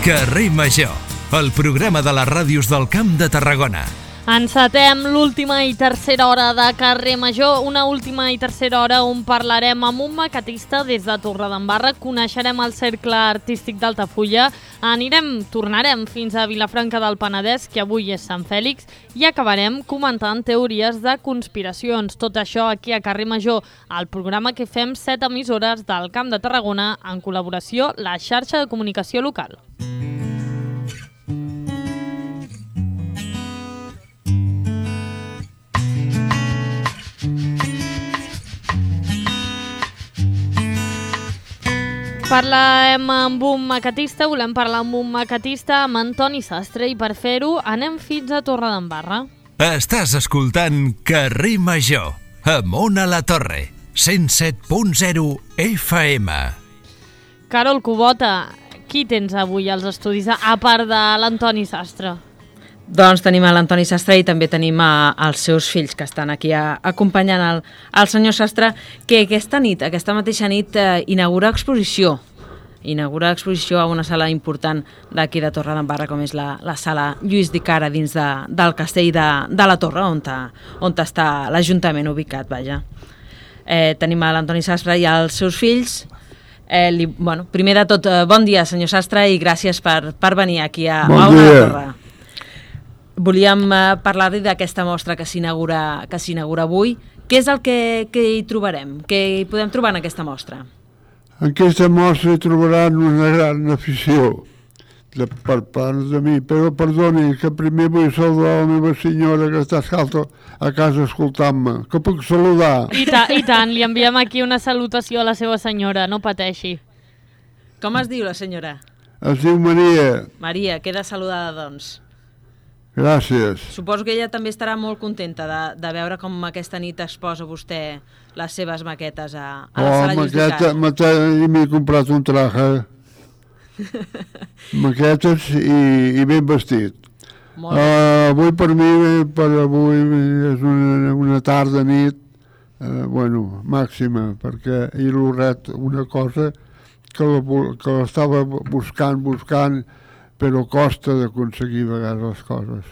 Carrer Major, el programa de les ràdios del Camp de Tarragona. Encetem l'última i tercera hora de Carrer Major, una última i tercera hora on parlarem amb un maquetista des de Torredembarra, coneixerem el cercle artístic d'Altafulla, tornarem fins a Vilafranca del Penedès, que avui és Sant Fèlix, i acabarem comentant teories de conspiracions. Tot això aquí a Carrer Major, el programa que fem 7 emissores del Camp de Tarragona en col·laboració la xarxa de comunicació local. Parlem amb un maquetista, volem parlar amb un maquetista, amb Antoni Sastre, i per fer-ho anem fins a Torredembarra. Estàs escoltant Carrer Major, amunt a la torre, 107.0 FM. Carol Cubota, qui tens avui als estudis, a part de l'Antoni Sastre? Doncs tenim l'Antoni Sastre i també tenim els seus fills que estan aquí acompanyant el senyor Sastre, que aquesta mateixa nit, inaugura exposició a una sala important d'aquí de Torredembarra, com és la sala Lluís Dicara, dins del castell de la Torre, on està l'Ajuntament ubicat, vaja. Tenim l'Antoni Sastre i els seus fills. Primer de tot, bon dia, senyor Sastre, i gràcies per venir aquí a la Torre. Volíem parlar-li d'aquesta mostra que s'inaugura avui. Què és el que hi trobarem? Què hi podem trobar en aquesta mostra? En aquesta mostra hi trobaran una gran afició per part de mi, però perdoni, que primer vull saludar la meva senyora que està a casa escoltant-me. Que puc saludar? I tant, li enviem aquí una salutació a la seva senyora, no pateixi. Com es diu la senyora? Es diu Maria. Maria, queda saludada, doncs. Gràcies. Suposo que ella també estarà molt contenta de veure com aquesta nit exposa vostè les seves maquetes a la sala Lluís Dicara. M'he comprat un traje, maquetes i ben vestit. Avui per mi, és una tarda nit, màxima, perquè he lograt una cosa que l'estava buscant, però costa d'aconseguir a vegades les coses.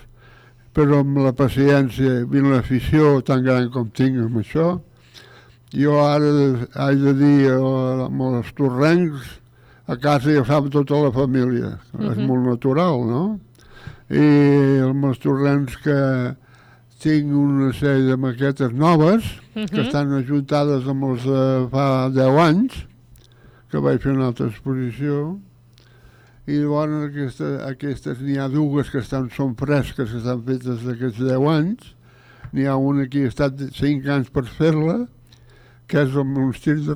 Però amb la paciència i l'afició tan gran com tinc amb això, jo ara haig de dir amb els torrencs, a casa ja ho sap tota la família, és molt natural, no? I amb els torrencs que tinc una sèrie de maquetes noves, que estan ajuntades amb els de fa 10 anys, que vaig fer una altra exposició, i llavors aquestes n'hi ha dues que són fresques, que estan fetes d'aquests 10 anys. N'hi ha una que ha estat 5 anys per fer-la, que és el monestir de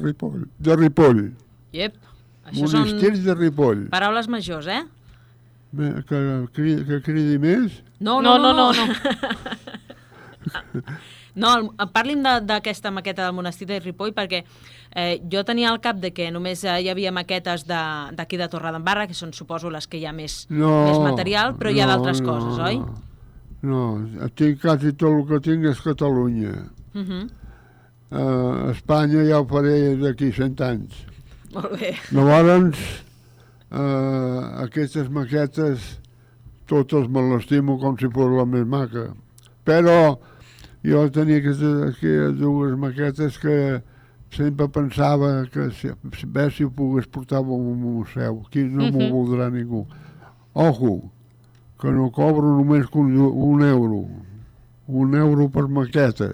Ripoll. Iep, això monestir de Ripoll. Paraules majors, eh? Que cridi més? No. No, parli'm d'aquesta maqueta del monestir de Ripoll, perquè jo tenia al cap de que només hi havia maquetes d'aquí de Torredembarra, que són, suposo, les que hi ha més material, però hi ha d'altres coses, oi? No, quasi tot el que tinc és Catalunya. A Espanya ja ho faré d'aquí 100 anys. Molt bé. Llavors, aquestes maquetes, totes me l'estimo com si fos la més maca. Però jo tenia aquestes dues maquetes que sempre pensava que si ho pogués portar a un museu. Aquí no m'ho voldrà ningú. Ojo, que no cobro només un euro. Un euro per maqueta.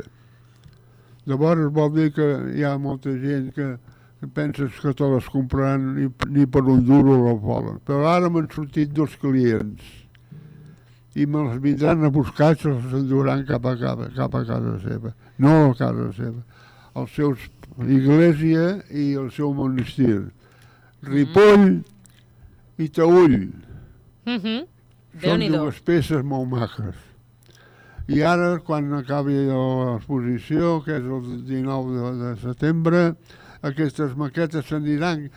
Llavors vol dir que hi ha molta gent que penses que te les compraran ni per un duro la volen. Però ara m'han sortit 2 clients. I me les vindran a buscar i se les enduran cap a casa seva. No a casa seva. Els seus església i el seu monestir. Ripoll i Taüll. Són 2 peces molt maques. I ara, quan acabi l'exposició, que és el 19 de setembre, aquestes maquetes s'aniran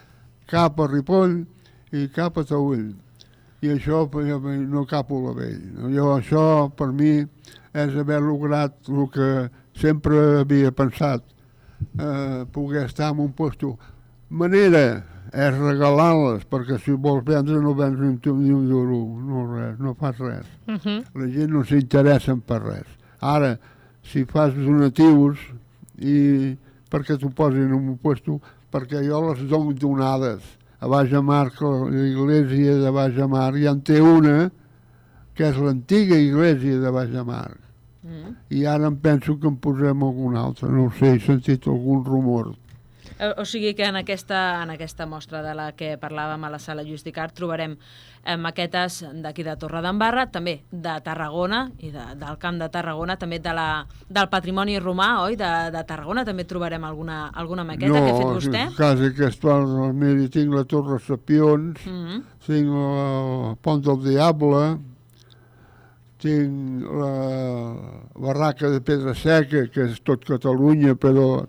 cap a Ripoll i cap a Taüll. I això no cap a la vell. Això, per mi, és haver lograt el que sempre havia pensat, poder estar en un lloc manera és regalar-les, perquè si vols vendre no vens ni un duro, no res, no fas res. La gent no s'interessa per res. Ara, si fas donatius i perquè t'ho posin en un puesto, perquè jo les dono donades a Baix de Mar, l'església de Baix de Mar, ja en té una que és l'antiga església de Baix de Mar. I ara em penso que en posem alguna altra, no ho sé, he sentit algun rumor. O sigui que en aquesta mostra de la que parlàvem a la sala Lluís Dicart trobarem maquetes d'aquí de Torredembarra, també de Tarragona i del Camp de Tarragona, també del patrimoni romà, oi? De Tarragona també trobarem alguna maqueta que ha fet vostè? No, quasi aquesta, miri, tinc la Torre Sapions, tinc el Pont del Diable, tinc la barraca de Pedra Seca, que és tot Catalunya, però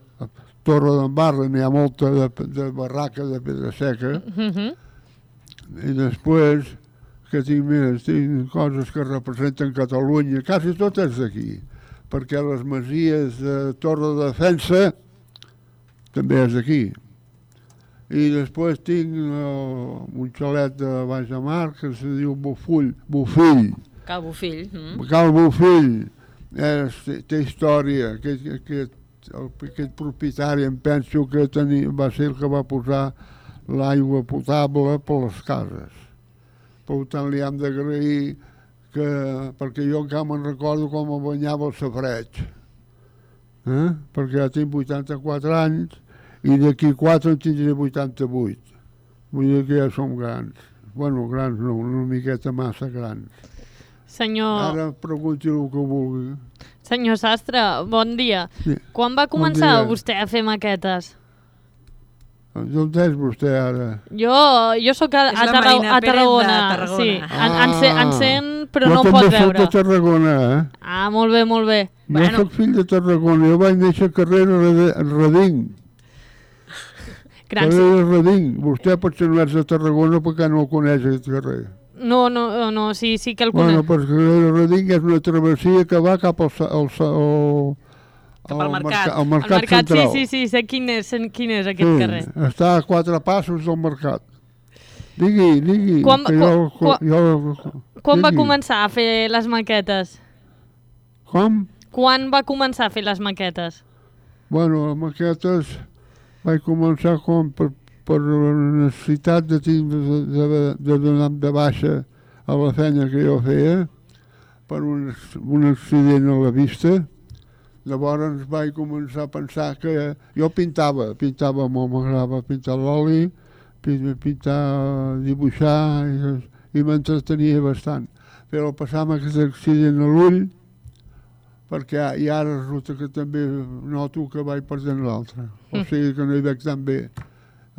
Torredembarra n'hi ha molta de barraca de Pedra Seca. I després, que tinc més, tinc coses que representen Catalunya, quasi totes d'aquí, perquè les masies de Torre de Defensa també és d'aquí. I després tinc un xalet de Baix de Mar que se diu Bofill. Cal Bofill. Cal Bofill. Té història. Aquest propietari em penso que va ser el que va posar l'aigua potable per les cases. Per tant, li hem d'agrair perquè jo encara me'n recordo com em banyava el safareig. Perquè ja tinc 84 anys i d'aquí 4 en tindré 88. Vull dir que ja som grans. Bueno, grans no, una miqueta massa grans. Ara pregunti el que vulgui. Senyor Sastre, bon dia. Sí. Quan va començar vostè a fer maquetes? D'on és vostè ara? Jo sóc a Tarragona. Sí. En sent, però no em pot veure. Jo també soc de Tarragona, molt bé, molt bé. Jo soc fill de Tarragona. Jo vaig néixer al carrer Reding. Carrer Reding. Vostè potser no és de Tarragona perquè no el coneix, aquest carrer. No, sí que el conec. Bueno, perquè el Reding és una travessia que va cap al mercat central. Sí, sé quin és aquest carrer. Està a 4 passos del mercat. Digui. Quan va començar a fer les maquetes? Com? Quan va començar a fer les maquetes? Bueno, les maquetes vaig començar per la necessitat de donar de baixa a la feina que jo feia per un accident a la vista. Llavors vaig començar a pensar que jo pintava molt, m'agradava pintar l'oli, pintar, dibuixar i m'entretenia bastant. Però passava aquest accident a l'ull perquè i ara resulta que també noto que vaig perdent l'altre. O sigui que no hi veig tan bé.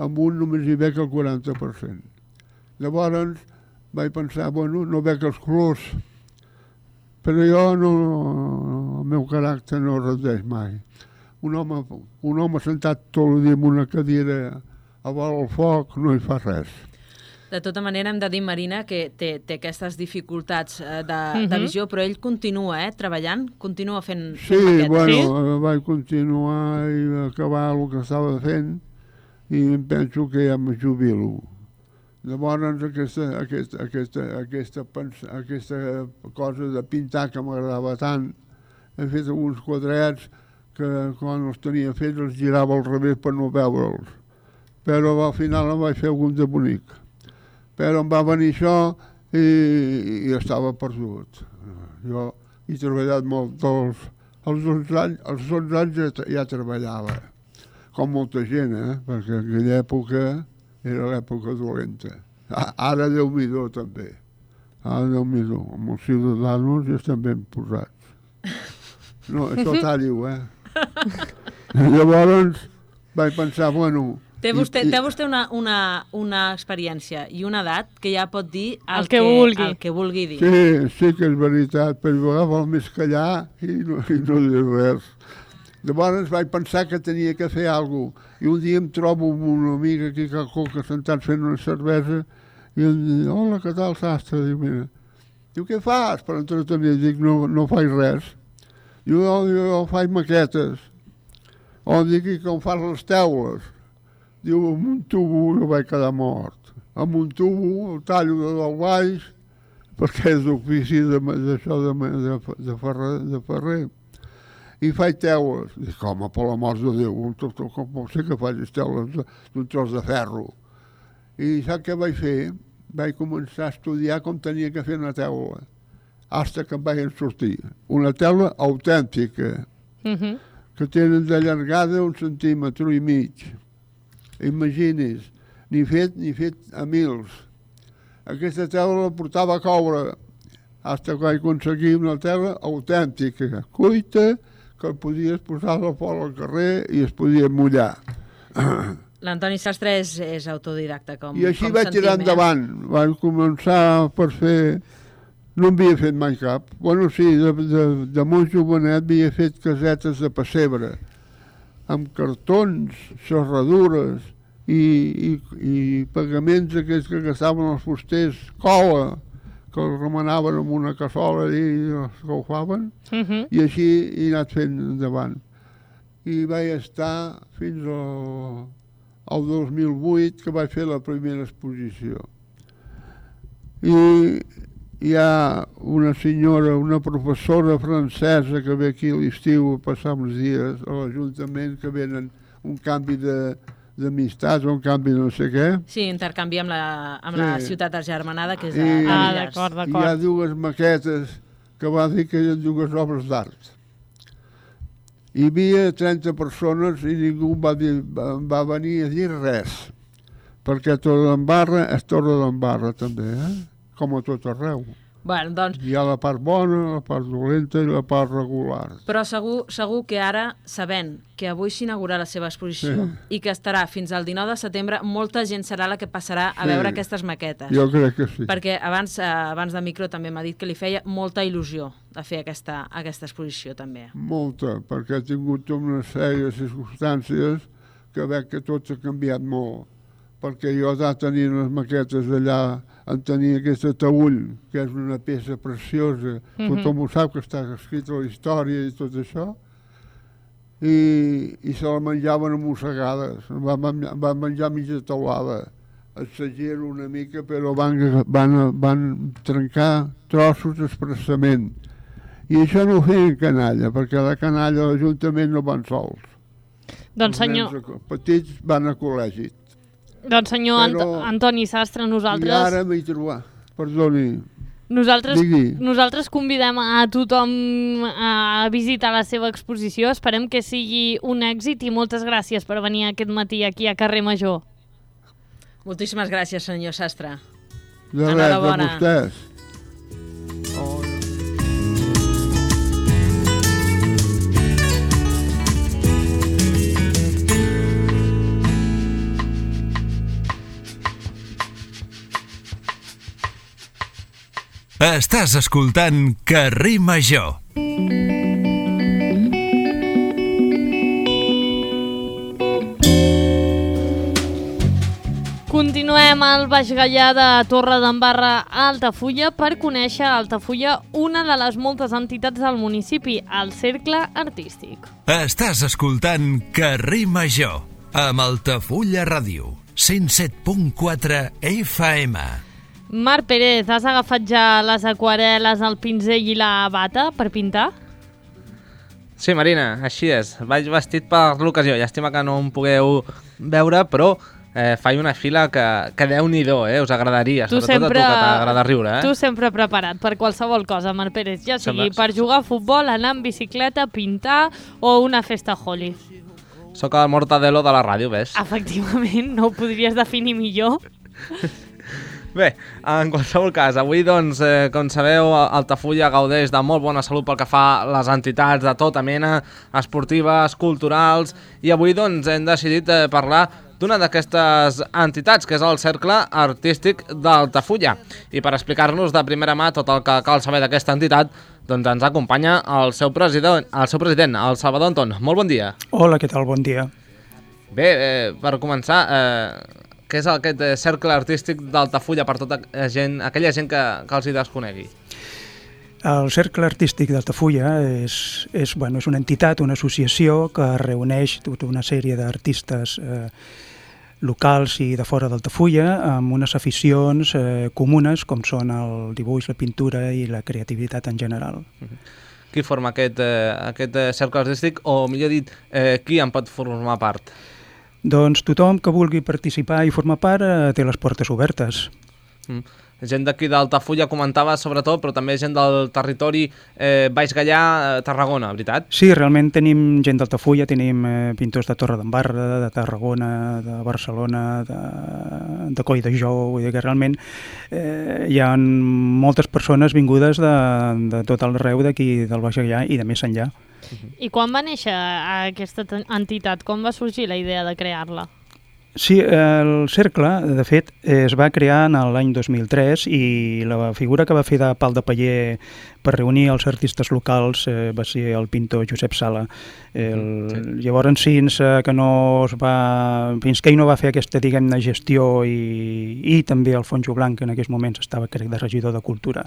Amb un només hi veig el 40%. Llavors vaig pensar, bueno, no veig els colors, però jo el meu caràcter no rendeix mai. Un home sentat tot el dia en una cadira a vora el foc no hi fa res. De tota manera, hem de dir, Marina, que té aquestes dificultats de visió, però ell continua treballant, continua fent maquetes. Bueno, vaig continuar i acabar el que estava fent i em penso que ja me jubilo. Llavors aquesta cosa de pintar que m'agradava tant, he fet alguns quadrets que quan els tenia fets els girava al revés per no veure'ls. Però al final em vaig fer algun de bonic. Però em va venir això i estava perdut. Jo he treballat molt. Als 11 anys ja treballava, com molta gent, perquè en aquella època era l'època dolenta. Ara Déu-m'hi-do també. Ara Déu-m'hi-do. Amb els ciutadans ja estan ben posats. No, això tallo, Llavors vaig pensar, bueno... Té vostè una experiència i una edat que ja pot dir el que vulgui dir. Sí que és veritat, però val més callar i no dir res. Llavors vaig pensar que tenia que fer alguna cosa. I un dia em trobo amb una amiga aquí a Coca sentat fent una cervesa i em diu, hola, què tal, Sastre? Diu, què fas per entretenir? Dic, no faig res. Jo faig maquetes. O dic, com fas les teules? Diu, amb un tubo jo vaig quedar mort. Amb un tubo el tallo del baix, perquè és d'ofici d'això de ferrer. I faig teules. Dic, home, per l'amor de Déu, com pot ser que facis teules d'un tros de ferro? I sap què vaig fer? Vaig començar a estudiar com tenia que fer una teula, fins que em vaig sortir. Una teula autèntica, que tenen de llargada 1,5 centímetres. Imagini's, ni fet a mils. Aquesta teula la portava a coure, fins que vaig aconseguir una teula autèntica, cuita, que podies posar-la fora al carrer i es podia mullar. L'Antoni Sastre és autodidacta, com I així vaig sentim, tirar endavant. Vaig començar per fer... No en havia fet mai cap. Bueno, sí, de molt jovenet havia fet casetes de pessebre, amb cartons, serradures i pagaments aquests que gastaven els fusters, cola, que els remenaven amb una cassola i els caufaven, i així he anat fent endavant. I vaig estar fins al 2008, que vaig fer la primera exposició. I hi ha una senyora, una professora francesa que ve aquí a l'estiu a passar uns dies a l'Ajuntament, que venen un canvi d'amistats o un canvi de no sé què. Sí, intercanvi amb la ciutat germanada, que és a Millars. D'acord. Hi ha dues maquetes que va dir que eren dues obres d'art. Hi havia 30 persones i ningú va venir a dir res, perquè Torredembarra és Torredembarra també, com a tot arreu. Bueno, doncs... Hi ha la part bona, la part dolenta i la part regular. Però segur que ara, sabent que avui s'inaugura la seva exposició i que estarà fins al 19 de setembre, molta gent serà la que passarà a veure aquestes maquetes. Jo crec que sí. Perquè abans de micro també m'ha dit que li feia molta il·lusió de fer aquesta exposició també. Molta, perquè he tingut una sèrie de circumstàncies que veig que tot s'ha canviat molt. Perquè jo ja tenia unes maquetes allà, en tenia aquesta taüll, que és una peça preciosa, tothom ho sap que està escrita la història i tot això, i se la menjaven a mossegades, van menjar mitja taulada. Exagero una mica, però van trencar trossos expressament. I això no ho feien canalla, perquè la canalla a l'Ajuntament no van sols. Doncs senyor... Els nens petits van a col·legi. Doncs senyor Antoni Sastre, nosaltres... I ara m'hi trobar, perdoni. Nosaltres convidem a tothom a visitar la seva exposició. Esperem que sigui un èxit i moltes gràcies per venir aquest matí aquí a Carrer Major. Moltíssimes gràcies, senyor Sastre. De res, a vostès. Estàs escoltant Carrer Major. Continuem al Baix Gaià de Torredembarra a Altafulla per conèixer a Altafulla una de les moltes entitats del municipi, el Cercle Artístic. Estàs escoltant Carrer Major amb Altafulla Ràdio, 107.4 FM. Marc Pérez, has agafat ja les aquarel·les, el pinzell i la bata per pintar? Sí, Marina, així és. Vaig vestit per l'ocasió. Llàstima que no em pugueu veure, però faig una fila que Déu-n'hi-do, us agradaria, sobretot a tu, que t'agrada riure. Tu sempre preparat per qualsevol cosa, Marc Pérez, ja sigui per jugar a futbol, anar en bicicleta, pintar o una festa Holi. Soc el Mortadelo de la ràdio, ves? Efectivament, no ho podries definir millor. Bé, en qualsevol cas, avui, doncs, com sabeu, Altafulla gaudeix de molt bona salut pel que fa a les entitats de tota mena, esportives, culturals, i avui, doncs, hem decidit parlar d'una d'aquestes entitats, que és el Cercle Artístic d'Altafulla. I per explicar-nos de primera mà tot el que cal saber d'aquesta entitat, doncs ens acompanya el seu president, el Salvador Anton. Molt bon dia. Hola, què tal? Bon dia. Bé, per començar, què és aquest Cercle Artístic d'Altafulla per tota aquella gent que els hi desconegui? El Cercle Artístic d'Altafulla és una entitat, una associació que reuneix tota una sèrie d'artistes locals i de fora d'Altafulla, amb unes aficions comunes com són el dibuix, la pintura i la creativitat en general. Qui forma aquest cercle artístic, o millor dit, qui en pot formar part? Doncs tothom que vulgui participar i formar part té les portes obertes. Gent d'aquí d'Altafulla comentava sobretot, però també gent del territori Baix Gaià, Tarragona, veritat? Sí, realment tenim gent d'Altafulla, tenim pintors de Torredembarra, de Tarragona, de Barcelona, de Colldejou, vull dir que realment hi ha moltes persones vingudes de tot arreu d'aquí del Baix Gaià i de més enllà. I quan va néixer aquesta entitat? Com va sorgir la idea de crear-la? Sí, el cercle, de fet, es va crear en l'any 2003 i la figura que va fer de pal de paller per reunir els artistes locals va ser el pintor Josep Sala. Llavors, fins que ell no va fer aquesta, diguem-ne, gestió i també Alfonso Blanc, que en aquells moments estava, crec, de regidor de Cultura,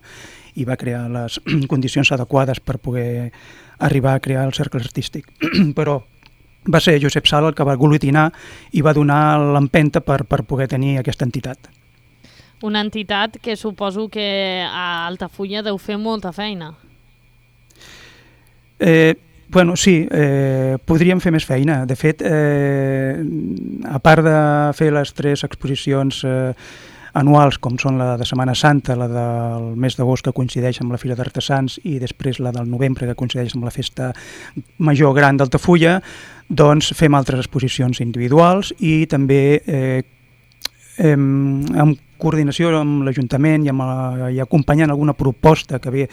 i va crear les condicions adequades per poder arribar a crear el cercle artístic. Però va ser Josep Sala el que va aglutinar i va donar l'empenta per poder tenir aquesta entitat. Una entitat que suposo que a Altafulla deu fer molta feina. Bueno, sí, podríem fer més feina. De fet, a part de fer les 3 exposicions anuals, com són la de Setmana Santa, la del mes d'agost que coincideix amb la Fira d'Artesans i després la del novembre que coincideix amb la Festa Major Gran d'Altafulla, doncs fem altres exposicions individuals i també en coordinació amb l'Ajuntament i acompanyant alguna proposta que ve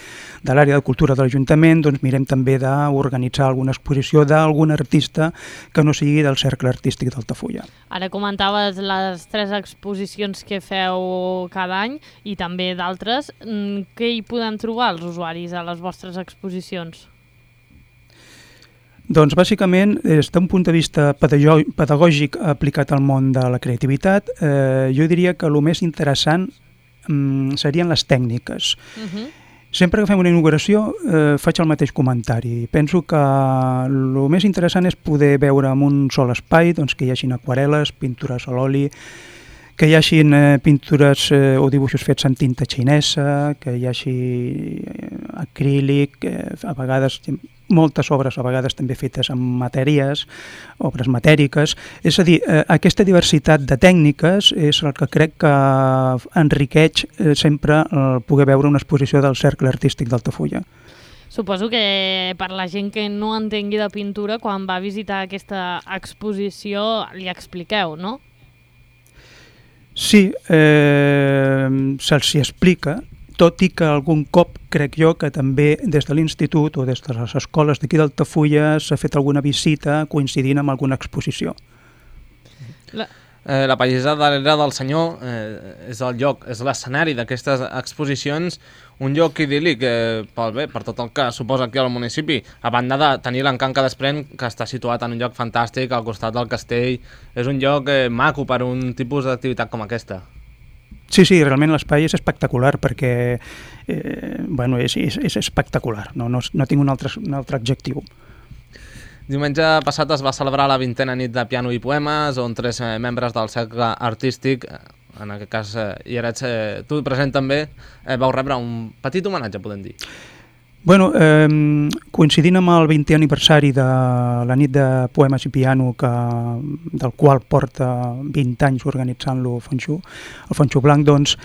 de l'àrea de cultura de l'Ajuntament, doncs mirem també d'organitzar alguna exposició d'algun artista que no sigui del cercle artístic d'Altafulla. Ara comentaves les 3 exposicions que feu cada any i també d'altres. Què hi podem trobar els usuaris a les vostres exposicions? Doncs bàsicament, des d'un punt de vista pedagògic aplicat al món de la creativitat, jo diria que el més interessant serien les tècniques. Sempre que fem una inauguració faig el mateix comentari. Penso que el més interessant és poder veure en un sol espai doncs, que hi hagin aquarel·les, pintures a l'oli, que hi hagin pintures o dibuixos fets en tinta xinesa, que hi hagi acrílic, a vegades moltes obres a vegades també fetes amb matèries, obres matèriques. És a dir, aquesta diversitat de tècniques és el que crec que enriqueix sempre el poder veure una exposició del cercle artístic d'Altafulla. Suposo que per la gent que no entengui de pintura, quan va visitar aquesta exposició li expliqueu, no? Sí, se'ls explica, tot i que algun cop crec jo que també des de l'institut o des de les escoles d'aquí d'Altafulla s'ha fet alguna visita coincidint amb alguna exposició. La pallissa darrere del senyor és el lloc, és l'escenari d'aquestes exposicions, un lloc idíl·lic per tot el que suposa aquí al municipi, a banda de tenir l'encant que desprèn, que està situat en un lloc fantàstic al costat del castell. És un lloc maco per un tipus d'activitat com aquesta. Sí, realment l'espai és espectacular perquè és espectacular, no tinc un altre adjectiu. Diumenge passat es va celebrar la 20a nit de piano i poemes, on 3 membres del cercle artístic, en aquest cas hi eres tu present també, vau rebre un petit homenatge, podem dir. Bueno, coincidint amb el 20è aniversari de la nit de poemes i piano del qual porta 20 anys organitzant-lo Alfonso Blanc, doncs,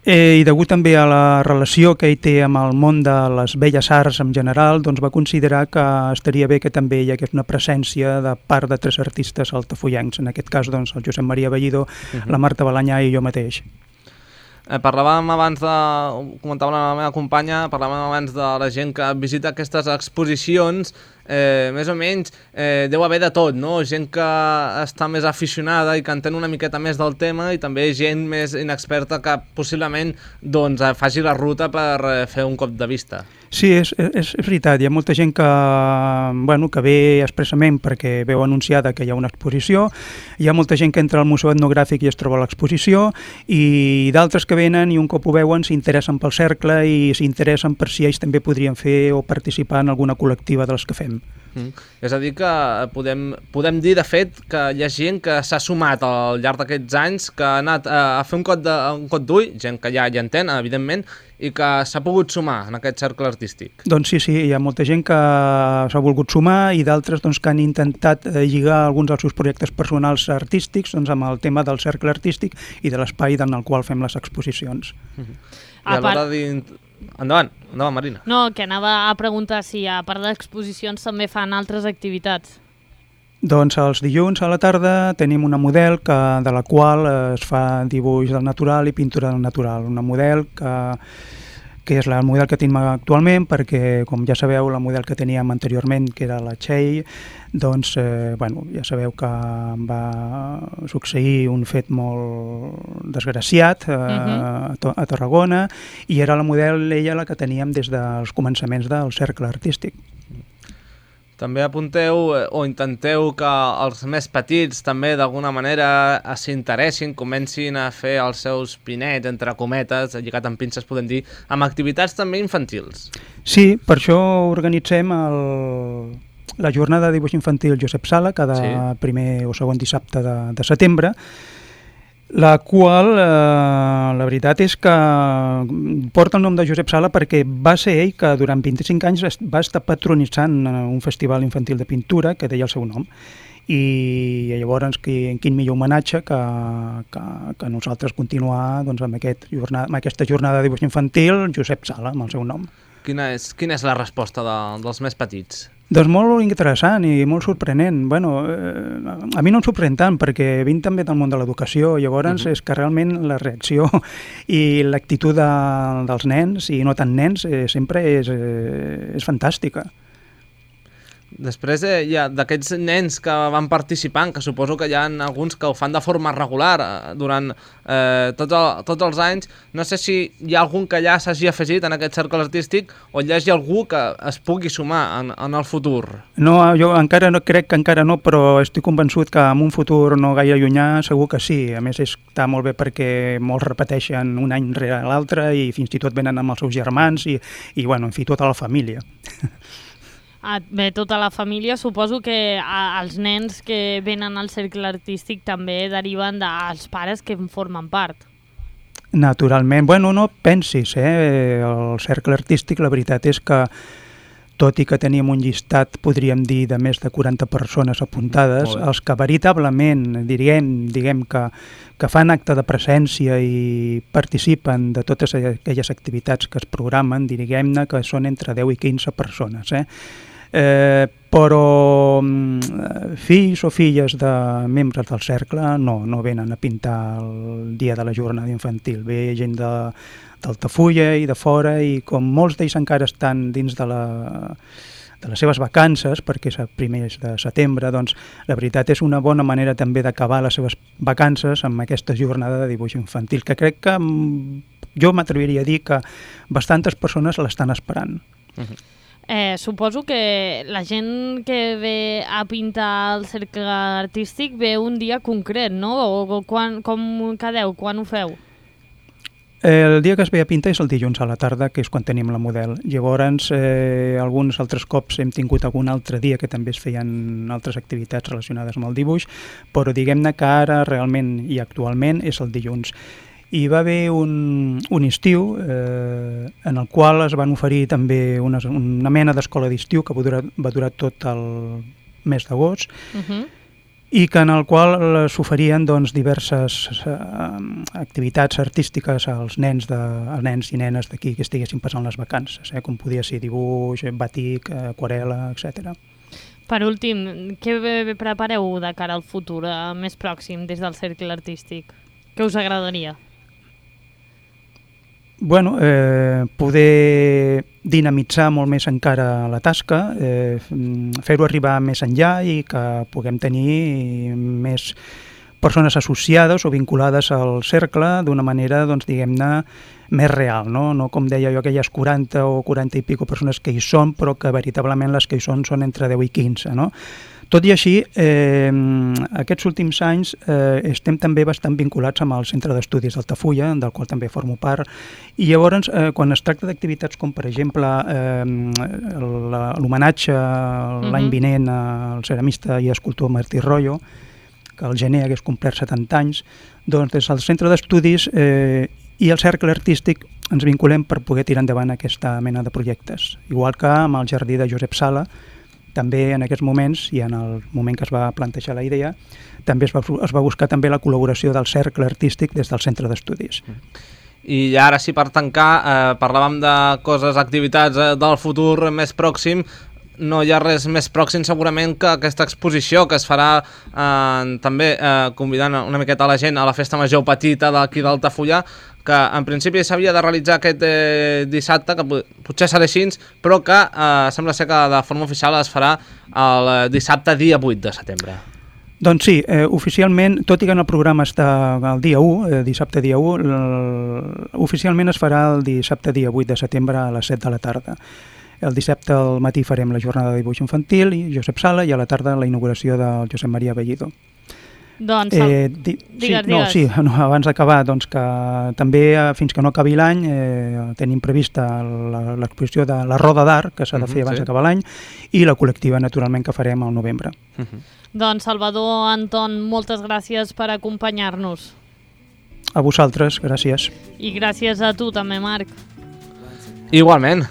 i degut també a la relació que ell té amb el món de les belles arts en general, doncs va considerar que estaria bé que també hi hagués una presència de part de 3 artistes altafullencs, en aquest cas doncs, el Josep Maria Bellido, la Marta Balanyà i jo mateix. Parlàvem abans comentava la meva companya, parlàvem abans de la gent que visita aquestes exposicions, més o menys deu haver de tot, no? Gent que està més aficionada i que entén una miqueta més del tema i també gent més inexperta que possiblement doncs, faci la ruta per fer un cop de vista. Sí, és veritat, hi ha molta gent que ve expressament perquè veu anunciada que hi ha una exposició, hi ha molta gent que entra al Museu Etnogràfic i es troba l'exposició i d'altres que venen i un cop ho veuen s'interessen pel cercle i s'interessen per si ells també podrien fer o participar en alguna col·lectiva de les que fem. fem. És a dir que podem dir de fet que hi ha gent que s'ha sumat al llarg d'aquests anys, que ha anat a fer un cot d'ull, gent que ja entén, evidentment, i que s'ha pogut sumar en aquest cercle artístic. Doncs sí, hi ha molta gent que s'ha volgut sumar i d'altres que han intentat lligar alguns dels seus projectes personals artístics amb el tema del cercle artístic i de l'espai en el qual fem les exposicions. I a l'hora Endavant, Marina. No, que anava a preguntar si a part d'exposicions també fan altres activitats. Doncs els dilluns a la tarda tenim una model de la qual es fa dibuix del natural i pintura del natural. Una model que és la model que tenim actualment, perquè, com ja sabeu, la model que teníem anteriorment, que era la Txell, doncs, ja sabeu que va succeir un fet molt desgraciat a Tarragona, i era la model, ella, la que teníem des dels començaments del cercle artístic. També apunteu o intenteu que els més petits també d'alguna manera s'interessin, comencin a fer els seus pinets, entre cometes, lligat amb pinces, podem dir, amb activitats també infantils. Sí, per això organitzem la jornada de dibuix infantil Josep Sala cada primer o segon dissabte de setembre, la qual, la veritat és que porta el nom de Josep Sala perquè va ser ell que durant 25 anys va estar patronitzant un festival infantil de pintura que deia el seu nom. I llavors quin millor homenatge que nosaltres continuar amb aquesta jornada de dibuix infantil Josep Sala, amb el seu nom. Quina és la resposta dels més petits? Doncs molt interessant i molt sorprenent. A mi no em sorprèn tant, perquè vinc també del món de l'educació, llavors és que realment la reacció i l'actitud dels nens, i no tant nens, sempre és fantàstica. Després d'aquests nens que van participant, que suposo que hi ha alguns que ho fan de forma regular durant tots els anys, no sé si hi ha algun que ja s'hagi afegit en aquest cercle artístic o hi hagi algú que es pugui sumar en el futur. No, jo crec que encara no, però estic convençut que en un futur no gaire llunyà segur que sí. A més, està molt bé perquè molts repeteixen un any rere l'altre i fins i tot venen amb els seus germans i en fi, tota la família. Bé, tota la família, suposo que els nens que venen al cercle artístic també deriven dels pares que en formen part. Naturalment. No pensis, el cercle artístic, la veritat és que, tot i que teníem un llistat, podríem dir, de més de 40 persones apuntades, els que veritablement, diguem que fan acte de presència i participen de totes aquelles activitats que es programen, diguem-ne que són entre 10 i 15 persones, però fills o filles de membres del cercle no venen a pintar el dia de la jornada infantil. Ve gent d'Altafulla i de fora, i com molts d'ells encara estan dins de les seves vacances, perquè és el primer de setembre, doncs la veritat és una bona manera també d'acabar les seves vacances amb aquesta jornada de dibuix infantil, que crec que jo m'atreviria a dir que bastantes persones l'estan esperant. Suposo que la gent que ve a pintar el cercle artístic ve un dia concret, no? O com quedeu? Quan ho feu? El dia que es ve a pintar és el dilluns a la tarda, que és quan tenim la model. Llavors, alguns altres cops hem tingut algun altre dia que també es feien altres activitats relacionades amb el dibuix, però diguem-ne que ara realment i actualment és el dilluns. Hi va haver un estiu en el qual es van oferir també una mena d'escola d'estiu que va durar tot el mes d'agost, i que en el qual s'oferien diverses activitats artístiques als nens i nenes d'aquí que estiguessin passant les vacances, com podia ser dibuix, batik, aquarel·la, etc. Per últim, què prepareu de cara al futur més pròxim des del cercle artístic? Què us agradaria? Poder dinamitzar molt més encara la tasca, fer-ho arribar més enllà i que puguem tenir més persones associades o vinculades al cercle d'una manera, diguem-ne, més real, no com deia jo, aquelles 40 o 40 i pico persones que hi són, però que veritablement les que hi són entre 10 i 15, no? Tot i així, aquests últims anys estem també bastant vinculats amb el Centre d'Estudis d'Altafulla, del qual també formo part, i llavors, quan es tracta d'activitats com, per exemple, l'homenatge l'any vinent al ceramista i escultor Martí Royo, que al gener hagués complert 70 anys, doncs des del Centre d'Estudis i el Cercle Artístic ens vinculem per poder tirar endavant aquesta mena de projectes. Igual que amb el Jardí de Josep Sala, també en aquests moments, i en el moment que es va plantejar la idea, també es va buscar també la col·laboració del Cercle Artístic des del Centre d'Estudis. I ara sí, per tancar, parlàvem de coses, activitats del futur més pròxim. No hi ha res més pròxim segurament que aquesta exposició que es farà també convidant una miqueta a la gent a la festa major petita d'aquí d'Altafulla, que en principi s'havia de realitzar aquest dissabte, que potser serà així, però que sembla ser que de forma oficial es farà el dissabte dia 8 de setembre. Doncs sí, oficialment, tot i que en el programa està el dia 1, dissabte dia 1, oficialment es farà el dissabte dia 8 de setembre a les 7 de la tarda. El dissabte al matí farem la jornada de dibuix infantil i Josep Sala, i a la tarda la inauguració del Josep Maria Bellido. Doncs, digues. Abans d'acabar, doncs que també fins que no acabi l'any tenim prevista l'exposició de la Roda d'Art, que s'ha de fer abans d'acabar l'any, i la col·lectiva, naturalment, que farem al novembre. Doncs, Salvador, Anton, moltes gràcies per acompanyar-nos. A vosaltres, gràcies. I gràcies a tu també, Marc. Igualment.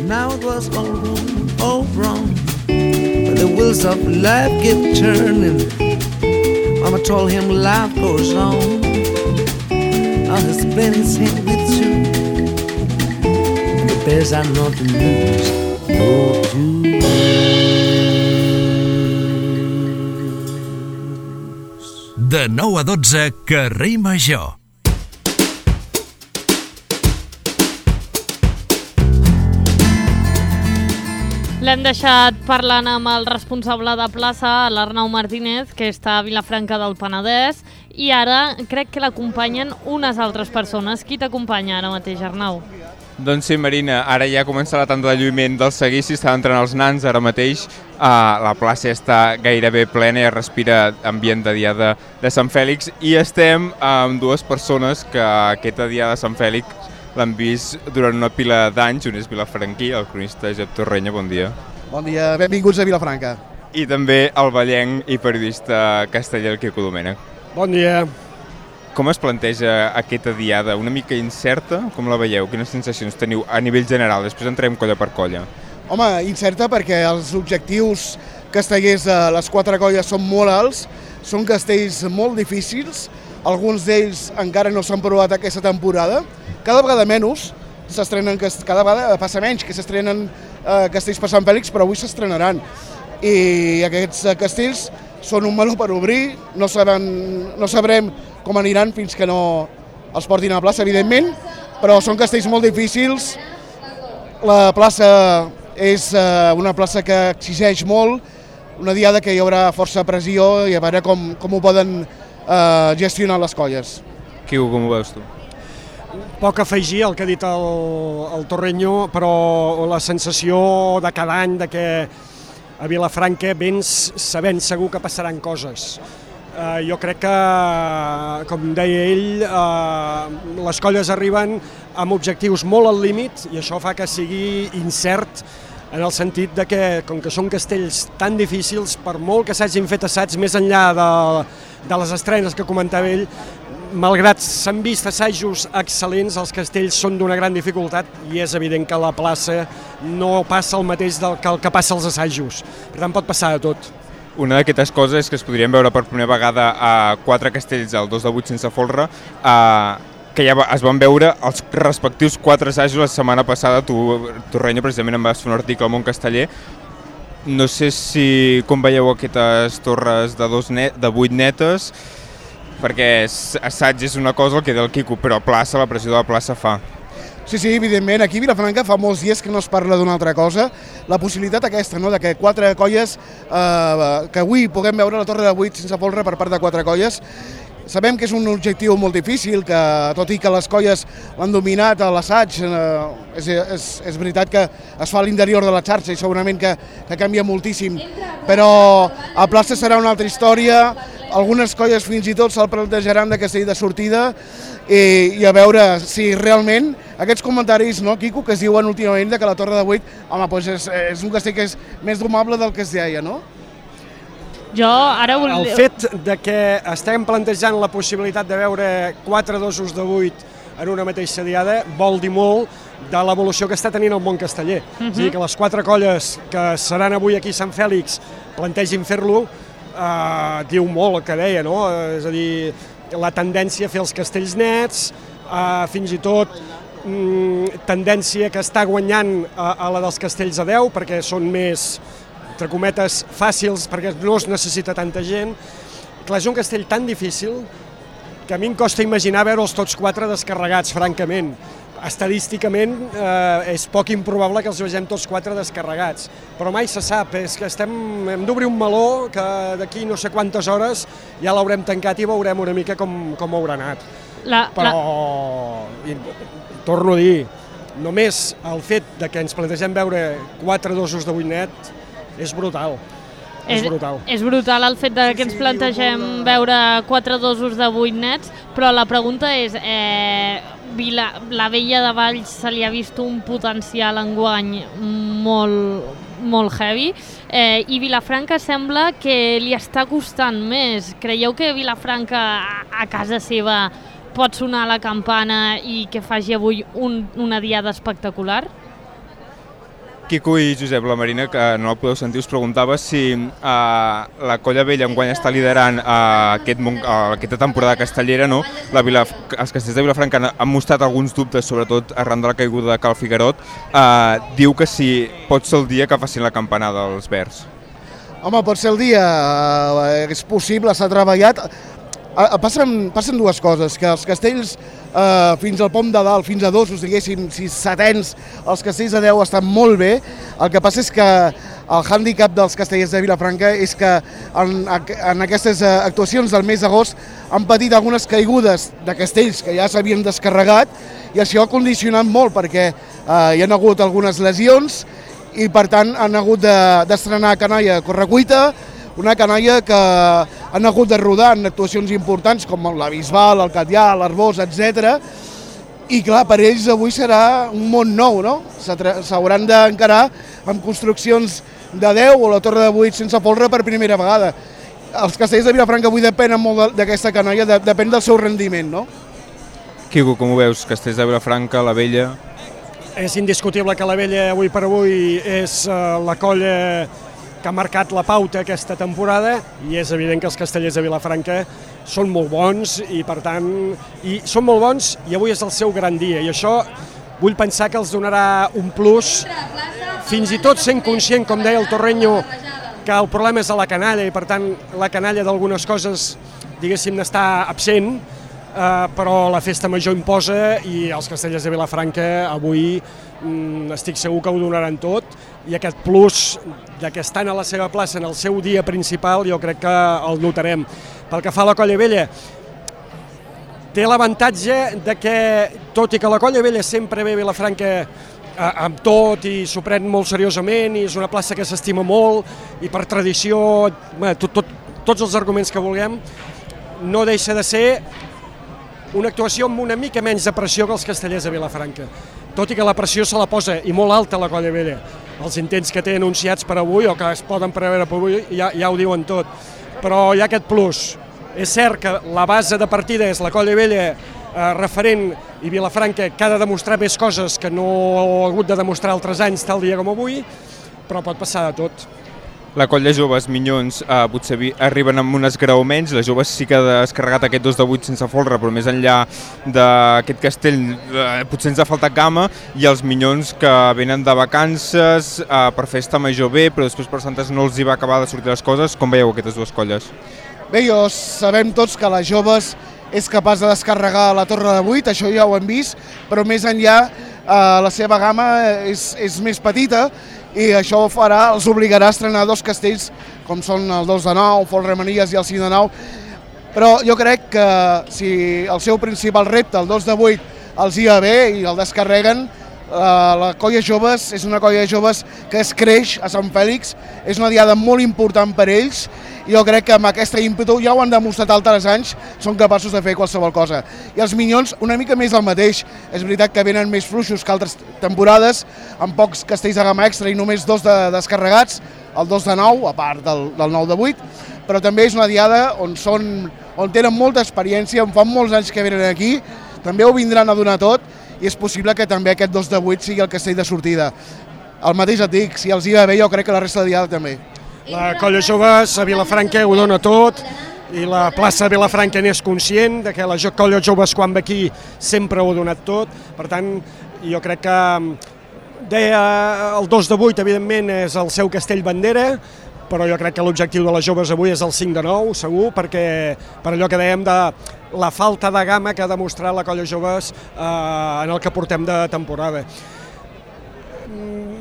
Now it was all wrong, but the wheels of life kept turning. Mama told him life goes on. Now he's playing his hand with you, and the bears are not to lose, no to lose. De 9 a 12, Carrer Major. L'hem deixat parlant amb el responsable de plaça, l'Arnau Martínez, que està a Vilafranca del Penedès, i ara crec que l'acompanyen unes altres persones. Qui t'acompanya ara mateix, Arnau? Doncs sí, Marina, ara ja comença la tanda de lluïment del seguici, estan entrant els nans ara mateix, la plaça està gairebé plena i es respira ambient de dia de Sant Fèlix, i estem amb dues persones que aquesta dia de Sant Fèlix l'han vist durant una pila d'anys. Un és vilafranquí, el cronista Josep Torrenya, bon dia. Bon dia, benvinguts a Vilafranca. I també el ballenc i periodista casteller, el Quico Domènech. Bon dia. Com es planteja aquesta diada? Una mica incerta? Com la veieu? Quines sensacions teniu a nivell general? Després entrem colla per colla. Home, incerta perquè els objectius castellers de les 4 colles són molt alts, són castells molt difícils, alguns d'ells encara no s'han provat aquesta temporada, cada vegada menys s'estrenen, cada vegada passa menys que s'estrenen castells per Sant Fèlix, però avui s'estrenaran. I aquests castells són un meló per obrir, no sabrem com aniran fins que no els portin a la plaça, evidentment, però són castells molt difícils. La plaça és una plaça que exigeix molt, una diada que hi haurà força pressió i a veure com ho poden gestionar les colles. Quico, com ho veus tu? Poc afegir al que ha dit el Torrenyo, però la sensació de cada any de que a Vilafranca vens sabent segur que passaran coses. Jo crec que, com deia ell, les colles arriben amb objectius molt al límit i això fa que sigui incert en el sentit de que, com que són castells tan difícils, per molt que s'hagin fet assaigs més enllà de les estrenes que comentava ell, malgrat s'han vist assajos excel·lents, els castells són d'una gran dificultat i és evident que a la plaça no passa el mateix que el que passa als assajos. Per tant, pot passar de tot. Una d'aquestes coses és que es podrien veure per primera vegada a 4 castells al 2 de 8 sense folre, que ja es van veure els respectius 4 assajos la setmana passada. Tu, Torrenya, precisament em vas fer un article al Món Casteller. No sé com veieu aquestes torres de 8 netes, perquè assaig és una cosa, el que deia el Quico, però plaça, la pressió de la plaça fa. Sí, evidentment, aquí a Vilafranca fa molts dies que no es parla d'una altra cosa. La possibilitat aquesta, no?, de que 4 colles, que avui puguem veure la torre de 8 sense folre per part de 4 colles, Sabem que és un objectiu molt difícil, que tot i que les colles l'han dominat a l'assaig, és veritat que es fa a l'interior de la xarxa i segurament que canvia moltíssim, però a plaça serà una altra història, algunes colles fins i tot se'l plantejaran de castell de sortida i a veure si realment aquests comentaris, no, Quico, que es diuen últimament que la Torre de 8, home, doncs és un castell que és més domable del que es deia, no? Jo ara El fet de que estem plantejant la possibilitat de veure 4 dosos de 8 en una mateixa diada vol dir molt de l'evolució que està tenint el món casteller. És a dir, que les 4 colles que seran avui aquí a Sant Fèlix plantegin fer-lo, diu molt el que deia, no? És a dir, la tendència a fer els castells nets, fins i tot tendència que està guanyant a la dels castells a 10 perquè són més, entre cometes, fàcils, perquè no es necessita tanta gent. Clar, és un castell tan difícil que a mi em costa imaginar veure'ls tots 4 descarregats, francament. Estadísticament és poc improbable que els vegem tots 4 descarregats, però mai se sap, és que hem d'obrir un meló que d'aquí no sé quantes hores ja l'haurem tancat i veurem una mica com haurà anat. Però, torno a dir, només el fet de que ens plantegem veure 4 dosos de 8 net és brutal. És brutal el fet que ens plantegem veure 4 dosos de 8 nets, però la pregunta és, la Vella de Valls se li ha vist un potencial enguany molt heavy, i Vilafranca sembla que li està costant més. Creieu que Vilafranca a casa seva pot sonar la campana i que faci avui una diada espectacular? Quico i Josep, la Marina, que no la podeu sentir, us preguntava si la Colla Vella enguany està liderant aquesta temporada castellera, no? Els castells de Vilafranca han mostrat alguns dubtes, sobretot arran de la caiguda de Cal Figuerot. Diu que si pot ser el dia que facin la campanada dels Verds. Home, pot ser el dia, és possible, s'ha treballat. Passen dues coses, que els castells fins al Pom de Dalt, fins a dosos, diguéssim, si setens, els castells de 10 estan molt bé. El que passa és que el hàndicap dels castellers de Vilafranca és que en aquestes actuacions del mes d'agost han patit algunes caigudes de castells que ja s'havien descarregat i això ha condicionat molt perquè hi ha hagut algunes lesions i per tant han hagut d'estrenar canalla a correcuita, una canalla que han hagut de rodar en actuacions importants com la Bisbal, el Catllà, l'Arbós, etc. I clar, per ells avui serà un món nou, no? S'hauran d'encarar amb construccions de 10 o la Torre de 8 sense folre per primera vegada. Els castells de Vilafranca avui depenen molt d'aquesta canalla, depèn del seu rendiment, no? Quico, com ho veus? Castells de Vilafranca, la Vella... És indiscutible que la Vella avui per avui és la colla que ha marcat la pauta aquesta temporada i és evident que els castellers de Vilafranca són molt bons i per tant són molt bons i avui és el seu gran dia i això vull pensar que els donarà un plus, fins i tot sent conscient, com deia el Torreño, que el problema és a la canalla i per tant la canalla d'algunes coses diguéssim n'està absent, però la festa major imposa i els castellers de Vilafranca avui estic segur que ho donaran tot i aquest plus que estan a la seva plaça en el seu dia principal jo crec que el notarem. Pel que fa a la Colla Vella, té l'avantatge de que, tot i que la Colla Vella sempre ve a Vilafranca amb tot i s'ho pren molt seriosament i és una plaça que s'estima molt i per tradició, tots els arguments que vulguem, no deixa de ser una actuació amb una mica menys de pressió que els castellers de Vilafranca. Tot i que la pressió se la posa, i molt alta, la Colla Vella. Els intents que té anunciats per avui, o que es poden preveure per avui, ja ho diuen tot. Però hi ha aquest plus. És cert que la base de partida és la Colla Vella referent i Vilafranca que ha de demostrar més coses que no ha hagut de demostrar altres anys tal dia com avui, però pot passar de tot. La colla joves, Minyons, potser arriben amb un esgrauments, les joves sí que ha descarregat aquest 2 de 8 sense folre, però més enllà d'aquest castell potser ens ha faltat gamma, i els Minyons que venen de vacances per festa major bé, però després per Santes no els hi va acabar de sortir les coses. Com veieu aquestes dues colles? Bé, sabem tots que les joves és capaç de descarregar la Torre de 8, això ja ho hem vist, però més enllà la seva gamma és més petita, i això els obligarà a estrenar dos castells com són el 2 de 9, Folre Manies i el 5 de 9. però jo crec que si el seu principal repte, el 2 de 8, els hi va bé i el descarreguen, la colla joves és una colla de joves que es creix a Sant Fèlix, és una diada molt important per ells i jo crec que amb aquesta ímpetu, ja ho han demostrat altres anys, són capaços de fer qualsevol cosa. I els Minyons una mica més del mateix, és veritat que venen més fluixos que altres temporades, amb pocs castells de gamma extra i només 2 descarregats, el 2 de 9, a part del 9 de 8, però també és una diada on tenen molta experiència, on fan molts anys que venen aquí, també ho vindran a donar tot i és possible que també aquest 2 de 8 sigui el castell de sortida. El mateix et dic, si els hi va bé, jo crec que la resta de diada també. La colla joves a Vilafranca ho dona tot i la plaça de Vilafranca n'és conscient de que la colla joves quan ve aquí sempre ho ha donat tot. Per tant, jo crec que deia el 2 de 8, evidentment, és el seu castell bandera, però jo crec que l'objectiu de les joves avui és el 5 de 9, segur, perquè per allò que dèiem de la falta de gamma que ha demostrat la colla joves en el que portem de temporada.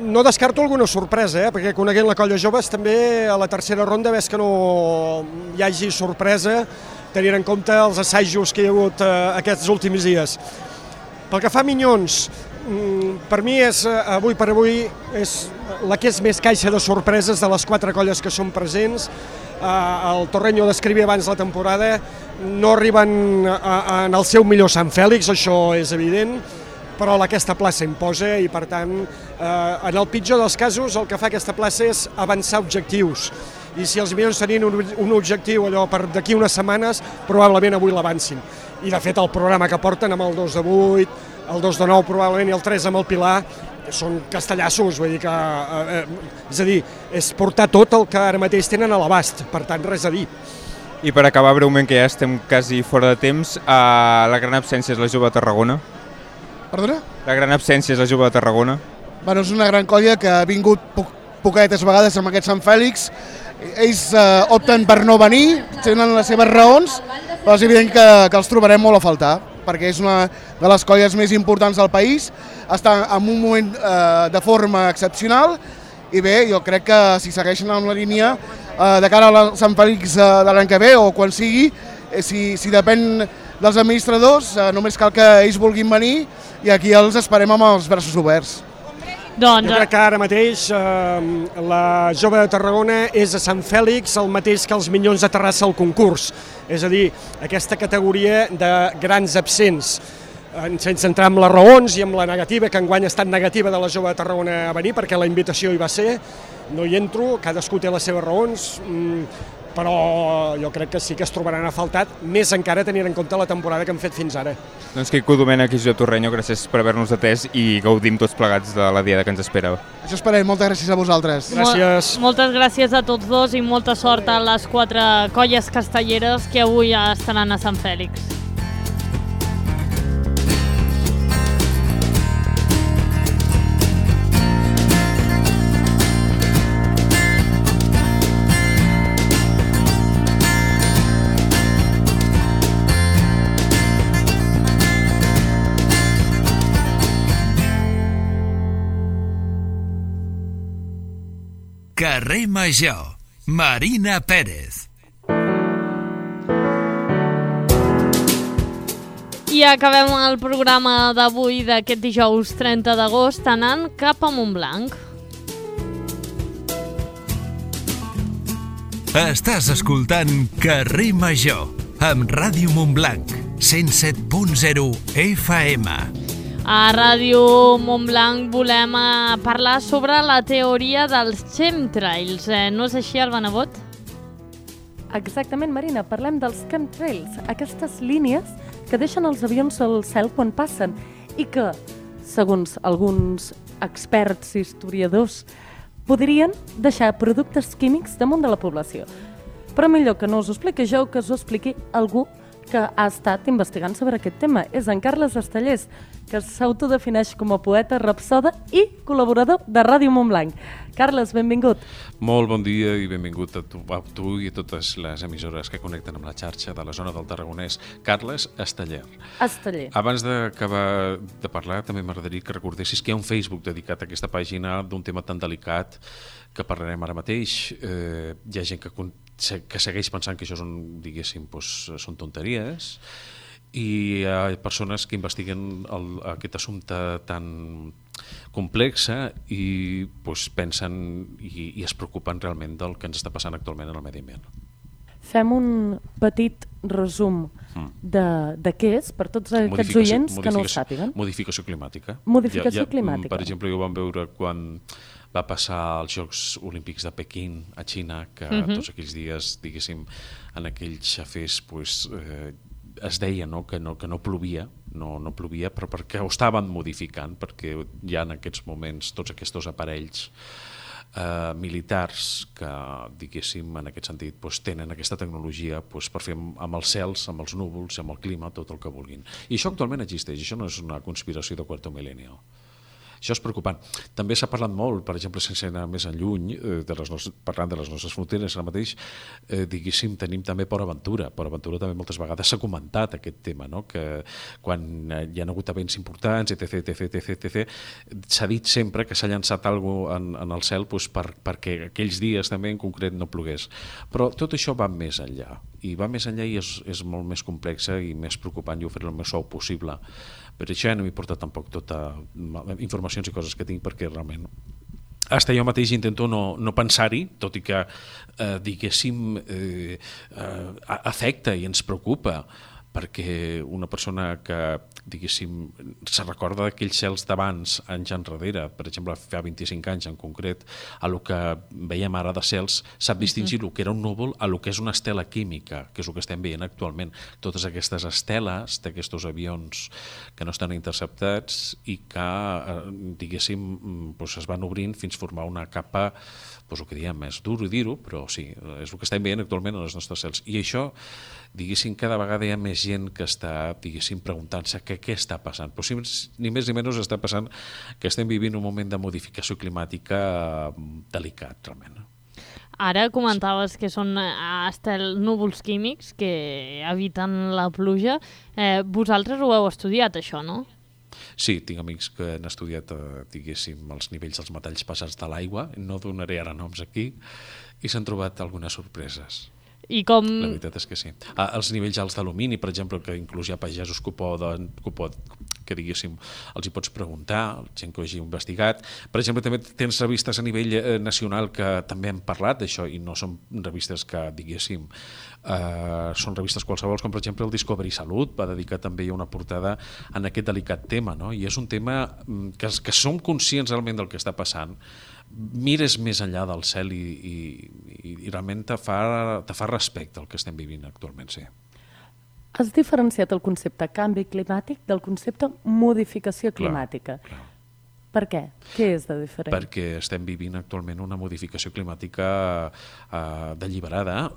No descarto alguna sorpresa, perquè coneguent la colla joves també a la tercera ronda ves que no hi hagi sorpresa, tenint en compte els assajos que hi ha hagut aquests últims dies. Pel que fa a Minyons, per mi és, avui per avui, és la que és més caixa de sorpreses de les 4 colles que són presents. El Torreño descrivia abans la temporada, no arriben en el seu millor Sant Fèlix, això és evident, però aquesta plaça imposa i, per tant, en el pitjor dels casos, el que fa aquesta plaça és avançar objectius. I si els Minyons tenien un objectiu allò per d'aquí unes setmanes, probablement avui l'avancin. I, de fet, el programa que porten amb el 2 de 8, el 2 de 9 probablement i el 3 amb el Pilar, són castellassos, vull dir que... és a dir, és portar tot el que ara mateix tenen a l'abast, per tant, res a dir. I per acabar breument, que ja estem quasi fora de temps, la gran absència és la Jove de Tarragona. Perdona? La gran absència és la Jove de Tarragona. Bueno, és una gran colla que ha vingut poquetes vegades amb aquest Sant Fèlix. Ells opten per no venir, tenen les seves raons, però és evident que els trobarem molt a faltar, perquè és una de les colles més importants del país, està en un moment de forma excepcional i bé, jo crec que si segueixen amb la línia de cara a Sant Fèlix de l'any que ve o quan sigui, si depèn dels administradors, només cal que ells vulguin venir i aquí els esperem amb els braços oberts. Jo crec que ara mateix la Jove de Tarragona és a Sant Fèlix el mateix que els Minyons de Terrassa al concurs, és a dir, aquesta categoria de grans absents, sense entrar en les raons i en la negativa, que enguany ha estat negativa de la Jove de Tarragona a venir perquè la invitació hi va ser, no hi entro, cadascú té les seves raons, però jo crec que sí que es trobaran a faltat, més encara tenint en compte la temporada que han fet fins ara. Doncs Quico Domènech i Josep Torreño, gràcies per haver-nos atès i gaudim tots plegats de la diada que ens espera. Això esperem, moltes gràcies a vosaltres. Gràcies. Moltes gràcies a tots dos i molta sort a les 4 colles castelleres que avui estaran a Sant Fèlix. Carrer Major, Marina Pérez. I acabem el programa d'avui d'aquest dijous 30 d'agost anant cap a Montblanc. Estàs escoltant Carrer Major amb Ràdio Montblanc, 107.0 FM. A Ràdio Montblanc volem parlar sobre la teoria dels chemtrails. No és així, Alba Nebot? Exactament, Marina. Parlem dels chemtrails, aquestes línies que deixen els avions al cel quan passen i que, segons alguns experts i historiadors, podrien deixar productes químics damunt de la població. Però millor que no us ho expliqui jo, que us ho expliqui algú que ha estat investigant sobre aquest tema. És en Carles Estellers, que s'autodefineix com a poeta, rapsoda i col·laborador de Ràdio Montblanc. Carles, benvingut. Molt bon dia i benvingut a tu i a totes les emissores que connecten amb la xarxa de la zona del Tarragonès. Carles Esteller. Esteller. Abans d'acabar de parlar, també m'agradaria que recordessis que hi ha un Facebook dedicat a aquesta pàgina d'un tema tan delicat que parlarem ara mateix. Hi ha gent que que segueix pensant que això diguéssim, són tonteries, i hi ha persones que investiguen aquest assumpte tan complexa i pensen i es preocupen realment del que ens està passant actualment en el medi ambient. Fem un petit resum de què és, per tots aquests oients que no ho sàpiguen. Modificació climàtica. Modificació climàtica. Per exemple, jo vam veure quan va passar als Jocs Olímpics de Pequín a Xina, que tots aquells dies, diguéssim, en aquells xafers es deia que no plovia, no plovia, però perquè ho estaven modificant, perquè hi ha en aquests moments tots aquests aparells militars que, diguéssim, en aquest sentit tenen aquesta tecnologia per fer amb els cels, amb els núvols, amb el clima, tot el que vulguin. I això actualment existeix, això no és una conspiració de quarto milenio. Això és preocupant. També s'ha parlat molt, per exemple, sense anar més enlluny, parlant de les nostres fronteres, ara mateix, diguéssim, tenim també Port Aventura. Port Aventura també moltes vegades s'ha comentat aquest tema, que quan hi ha hagut events importants, etc., s'ha dit sempre que s'ha llançat alguna cosa en el cel perquè aquells dies també en concret no plogués. Però tot això va més enllà, i va més enllà i és molt més complexa i més preocupant, i ho faré el més suau possible. Per això no m'he portat tampoc tota informacions i coses que tinc, perquè realment hasta jo mateix intento no pensar-hi, tot i que diguéssim afecta i ens preocupa, perquè una persona que, diguéssim, se recorda d'aquells cels d'abans, anys enrere, per exemple, fa 25 anys en concret, a lo que veiem ara de cels, sap distingir el que era un núvol a lo que és una estela química, que és el que estem veient actualment. Totes aquestes esteles d'aquests avions que no estan interceptats i que, diguéssim, es van obrint fins a formar una capa, el que diem, és dur dir-ho, però sí, és el que estem veient actualment en els nostres cels. I això, diguéssim, cada vegada hi ha més gent que està, diguéssim, preguntant-se què està passant. Però si ni més ni menys està passant que estem vivint un moment de modificació climàtica delicat, realment. Ara comentaves que són núvols químics que eviten la pluja. Vosaltres ho heu estudiat, això, no? Sí, tinc amics que han estudiat, diguéssim, els nivells dels metalls pesants de l'aigua, no donaré ara noms aquí, i s'han trobat algunes sorpreses. I com... La veritat és que sí. Els nivells alts d'alumini, per exemple, que inclús hi ha pagesos que diguéssim, els hi pots preguntar, gent que ho hagi investigat. Per exemple, també tens revistes a nivell nacional que també han parlat d'això, i no són revistes que, diguéssim, són revistes qualsevol, com per exemple el Discovery Salut va dedicar també una portada en aquest delicat tema, no? I és un tema que som conscients realment del que està passant, mires més enllà del cel i realment te fa respecte al que estem vivint actualment, sí. Has diferenciat el concepte canvi climàtic del concepte modificació climàtica. Clar. Per què? Què és de diferent? Perquè estem vivint actualment una modificació climàtica deliberada.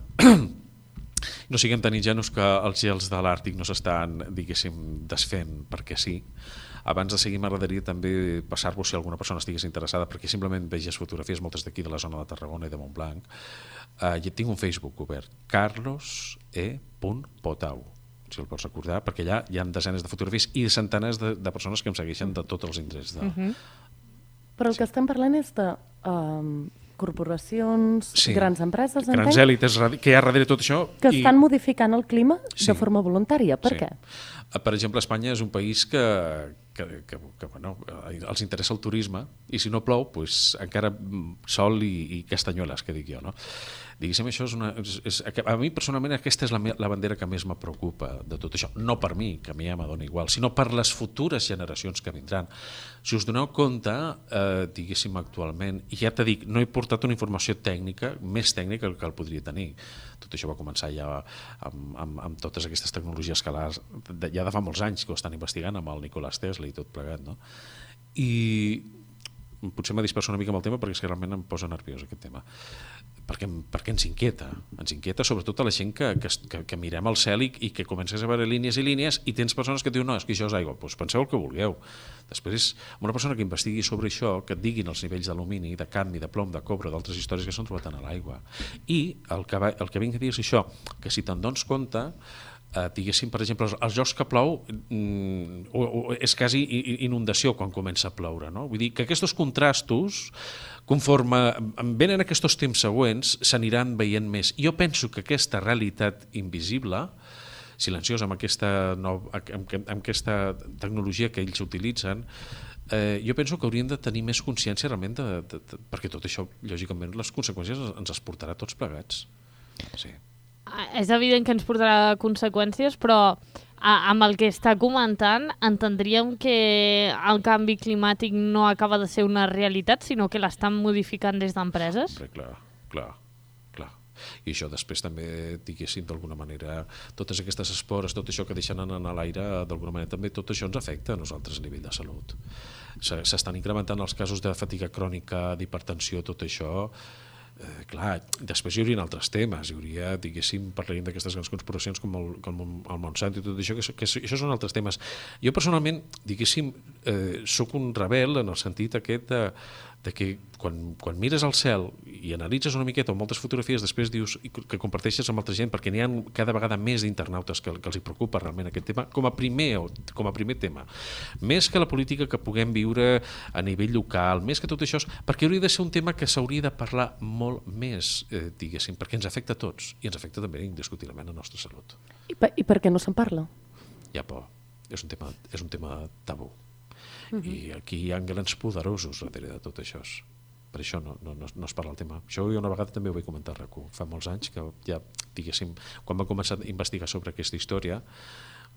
No siguem tan ingenus que els gels de l'Àrtic no s'estan, diguéssim, desfent perquè sí. Abans de seguir, m'agradaria també passar-vos, si alguna persona estigués interessada, perquè simplement vegis fotografies, moltes d'aquí de la zona de Tarragona i de Montblanc. Tinc un Facebook obert, carlos.e.potau, si el pots recordar, perquè allà hi ha desenes de fotografies i centenars de persones que em segueixen de tots els indrets. Però el que estem parlant és de corporacions, grans empreses, grans èlites que hi ha darrere tot això. Que estan modificant el clima de forma voluntària. Per què? Per exemple, Espanya és un país que els interessa el turisme, i si no plou, encara sol i castanyueles, que dic jo, no? Diguéssim, això a mi personalment aquesta és la bandera que més me preocupa de tot això, no per mi, que a mi ja m'adona igual, sinó per les futures generacions que vindran. Si us doneu compte, diguéssim, actualment, i ja t'he dit, no he portat una informació tècnica, més tècnica que el podria tenir. Tot això va començar ja amb totes aquestes tecnologies que ja de fa molts anys que ho estan investigant amb el Nicolás Tesla i tot plegat, no? I potser m'ha dispersat una mica amb el tema perquè és que realment em posa nerviós aquest tema. Perquè ens inquieta sobretot a la gent que mirem al cel i que comences a veure línies i línies i tens persones que et diuen, no, és que això és aigua, doncs penseu el que vulgueu. Després, una persona que investigui sobre això, que et diguin els nivells d'alumini, de cadmi, de plom, de cobre, d'altres històries que s'han trobat a l'aigua. I el que vinc a dir és això, que si te'n dones compte, diguéssim, per exemple, els llocs que plou és quasi inundació quan comença a ploure, no? Vull dir que aquests contrastos, conforme venen aquests temps següents, s'aniran veient més. Jo penso que aquesta realitat invisible, silenciosa, amb aquesta tecnologia que ells utilitzen, jo penso que haurien de tenir més consciència realment perquè tot això, lògicament, les conseqüències ens es portarà tots plegats. Sí. És evident que ens portarà conseqüències, però amb el que està comentant entendríem que el canvi climàtic no acaba de ser una realitat, sinó que l'estan modificant des d'empreses? Clar. I això després també, diguéssim, d'alguna manera, totes aquestes espores, tot això que deixen anar a l'aire, d'alguna manera també tot això ens afecta a nosaltres a nivell de salut. S'estan incrementant els casos de fatiga crònica, d'hipertensió, tot això. Clar, després hi haurien altres temes, hi hauria, diguéssim, parlarem d'aquestes grans conspiracions com el Monsanto i tot això, que això són altres temes. Jo personalment, diguéssim, sóc un rebel en el sentit aquest de que quan mires al cel i analitzes una miqueta o moltes fotografies, després dius que comparteixes amb altra gent, perquè n'hi ha cada vegada més d'internautes que els hi preocupa realment aquest tema, com a primer tema. Més que la política que puguem viure a nivell local, més que tot això, perquè hauria de ser un tema que s'hauria de parlar molt més, diguéssim, perquè ens afecta a tots, i ens afecta també indiscutiblement a la nostra salut. I per què no se'n parla? Hi ha por. És un tema tabú. I aquí hi ha grans poderosos darrere de tot això. Per això no es parla el tema. Això jo una vegada també ho vaig comentar a RAC1. Fa molts anys que ja, diguéssim, quan vam començar a investigar sobre aquesta història,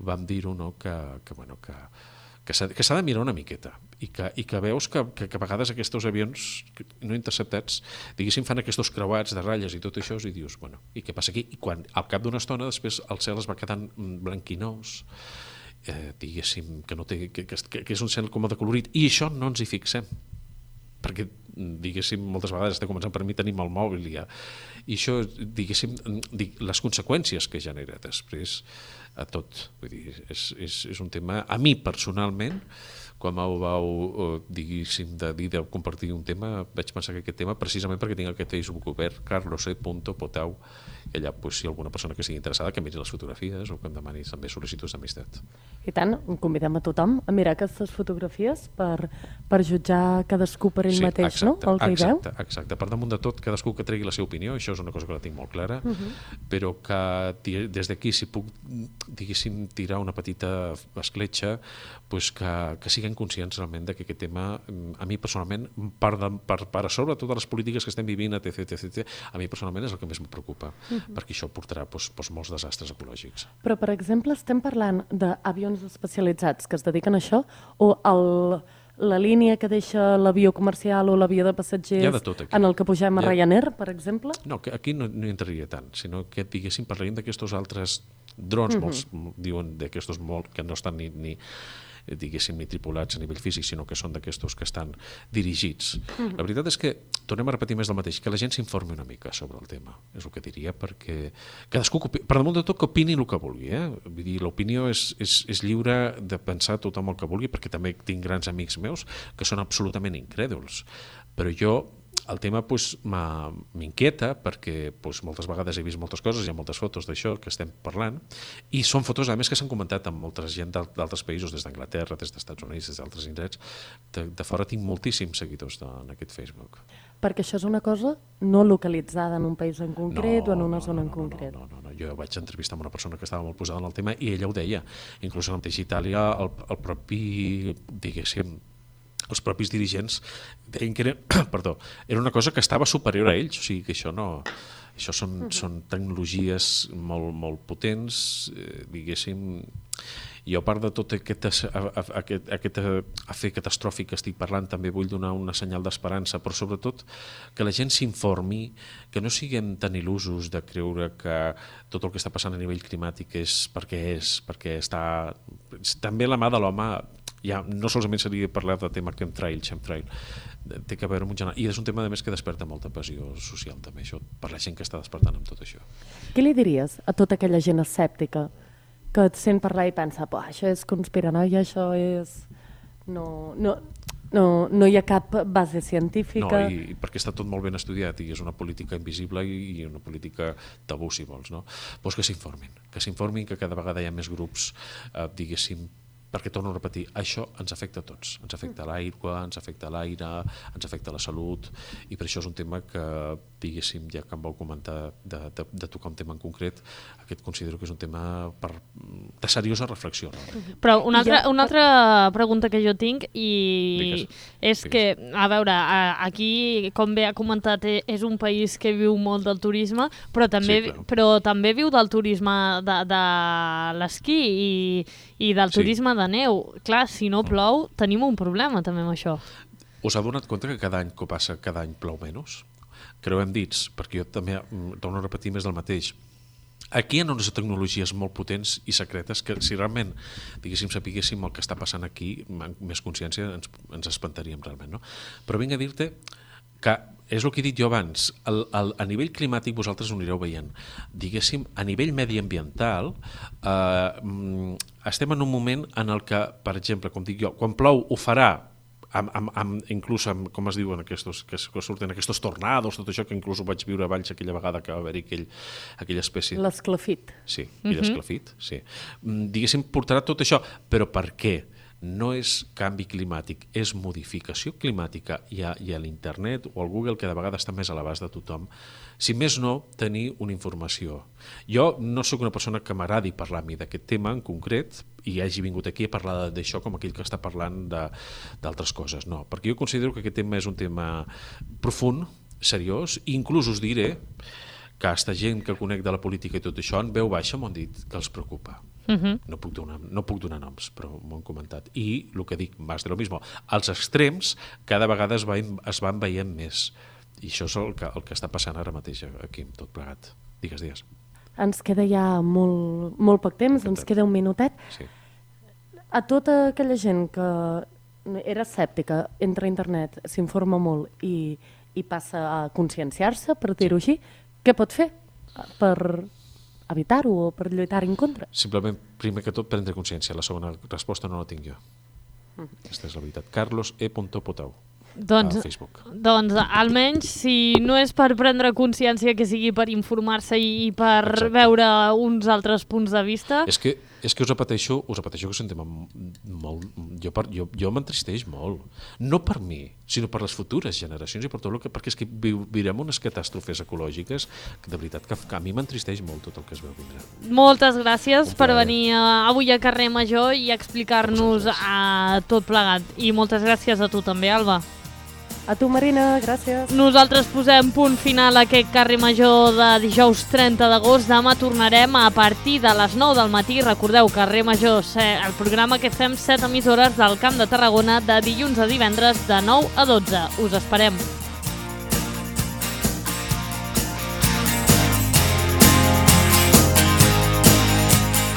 vam dir-ho, no, que s'ha de mirar una miqueta i que veus que a vegades aquests avions no interceptats, diguéssim, fan aquests creuats de ratlles i tot això, i dius, bueno, i què passa aquí? I quan al cap d'una estona després el cel es va quedant blanquinós, diguéssim, que és un cel com de colorit, i això no ens hi fixem, perquè, diguéssim, moltes vegades està començant per mi, tenim el mòbil i això, diguéssim, les conseqüències que genera després a tot. Vull dir, és un tema, a mi personalment, quan m'ho vau, diguéssim, de compartir un tema, vaig pensar que aquest tema, precisament perquè tinc aquest Facebook obert, carlose.potau, i allà, si alguna persona que sigui interessada, que miri les fotografies o que em demani també sol·licituds d'amistat. I tant, convidem a tothom a mirar aquestes fotografies per jutjar cadascú per ell mateix, no? El que hi veu. Exacte. Per damunt de tot, cadascú que tregui la seva opinió, això és una cosa que la tinc molt clara, però que des d'aquí, si puc, diguéssim, tirar una petita escletxa, que siguin conscients realment que aquest tema, a mi personalment, per a sobre totes les polítiques que estem vivint, etc., a mi personalment és el que més em preocupa, perquè això portarà molts desastres ecològics. Però, per exemple, estem parlant d'avions especialitzats que es dediquen a això, o la línia que deixa l'avió comercial o l'avió de passatgers en el que pugem a Ryanair, per exemple? No, aquí no hi entraria tant, sinó que, diguéssim, parlaríem d'aquests altres drons, molts diuen d'aquestos que no estan ni diguéssim, ni tripulats a nivell físic, sinó que són d'aquestos que estan dirigits. La veritat és que, tornem a repetir més del mateix, que la gent s'informi una mica sobre el tema, és el que diria, perquè cadascú, per damunt de tot, que opini el que vulgui. Vull dir, l'opinió és lliure de pensar tothom el que vulgui, perquè també tinc grans amics meus que són absolutament incrèduls, però jo el tema m'inquieta perquè moltes vegades he vist moltes coses, hi ha moltes fotos d'això que estem parlant, i són fotos, a més, que s'han comentat amb molta gent d'altres països, des d'Anglaterra, des dels Estats Units, des d'altres indrets. De fora tinc moltíssims seguidors en aquest Facebook. Perquè això és una cosa no localitzada en un país en concret o en una zona en concret. No. Jo vaig entrevistar amb una persona que estava molt posada en el tema i ella ho deia. Inclús en el mateix Itàlia, el propi, diguéssim, els propis dirigents deien que era una cosa que estava superior a ells, o sigui que això són tecnologies molt potents, diguéssim. I a part de tot aquest afer catastròfic que estic parlant, també vull donar una senyal d'esperança, però sobretot que la gent s'informi, que no siguem tan il·lusos de creure que tot el que està passant a nivell climàtic és perquè està... També la mà de l'home, ja no solament seria parlar de tema chemtrail, té que veure amb un general, i és un tema a més que desperta molta passió social també, això, per la gent que està despertant amb tot això. Què li diries a tota aquella gent escèptica que et sent parlar i pensa, això és conspiranoia, això és... No. No hi ha cap base científica. No, i perquè està tot molt ben estudiat i és una política invisible i una política tabú, si vols, no? Doncs que s'informin, que cada vegada hi ha més grups, diguéssim, perquè torno a repetir, això ens afecta a tots, ens afecta l'aigua, ens afecta l'aire, ens afecta la salut, i per això és un tema que, diguéssim, ja que em vau comentar de tocar un tema en concret, aquest considero que és un tema de seriosa reflexió. Però una altra pregunta que jo tinc és que, a veure, aquí, com bé ha comentat, és un país que viu molt del turisme, però també viu del turisme de l'esquí i del turisme de neu. Clar, si no plou, tenim un problema també amb això. Us heu donat compte que cada any que passa, cada any plou menys? Creuem dits, perquè jo també torno a repetir més del mateix. Aquí hi ha unes tecnologies molt potents i secretes que si realment, diguéssim, sapiguéssim el que està passant aquí, amb més consciència ens espantaríem realment, no? Però vinc a dir-te que és el que he dit jo abans, a nivell climàtic vosaltres ho anireu veient. Diguéssim, a nivell mediambiental, estem en un moment en el que, per exemple, com dic jo, quan plou ho farà, inclús amb, com es diuen, que surten aquests tornados, tot això que inclús ho vaig viure a Valls aquella vegada que va haver-hi aquella espècie... L'esclafit. Sí, l'esclafit, sí. Diguéssim, portarà tot això, però per què? No és canvi climàtic, és modificació climàtica i a l'internet o al Google, que de vegades està més a l'abast de tothom, si més no, tenir una informació. Jo no sóc una persona que m'agradi parlar a mi d'aquest tema en concret i hagi vingut aquí a parlar d'això com aquell que està parlant d'altres coses, no, perquè jo considero que aquest tema és un tema profund, seriós, i inclús us diré que aquesta gent que conec de la política i tot això en veu baixa m'han dit que els preocupa. No puc donar noms, però m'ho han comentat. I el que dic, més de lo mismo, els extrems cada vegada es van veient més. I això és el que està passant ara mateix aquí, tot plegat. Digues. Ens queda ja molt poc temps, ens queda un minutet. Sí. A tota aquella gent que era escèptica, entra a internet, s'informa molt i passa a conscienciar-se, per dir-ho així, què pot fer per evitar-ho o per lluitar en contra? Simplement, primer que tot, prendre consciència. La segona resposta no la tinc jo. Aquesta és la veritat. Carlos E. Potau. A Facebook. Doncs almenys, si no és per prendre consciència, que sigui per informar-se i per veure uns altres punts de vista... És que us repeteixo que és un tema molt... Jo m'entristeix molt. No per mi, sinó per les futures generacions i per tot el que... Perquè és que viurem unes catàstrofes ecològiques que de veritat que a mi m'entristeix molt tot el que es veu vindre. Moltes gràcies per venir avui a Carrer Major i explicar-nos tot plegat. I moltes gràcies a tu també, Alba. A tu, Marina, gràcies. Nosaltres posem punt final a aquest Carrer Major de dijous 30 d'agost. Demà tornarem a partir de les 9 del matí. Recordeu, Carrer Major, el programa que fem 7 emissores del Camp de Tarragona de dilluns a divendres de 9 a 12. Us esperem.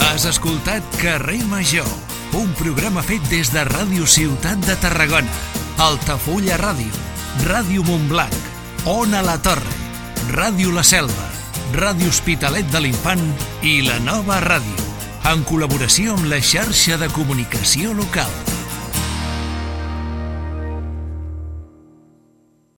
Has escoltat Carrer Major, un programa fet des de Ràdio Ciutat de Tarragona, Altafulla Ràdio, Ràdio Montblanc, Ona la Torre, Ràdio La Selva, Ràdio Hospitalet de l'Infant i La Nova Ràdio, en col·laboració amb la xarxa de comunicació local.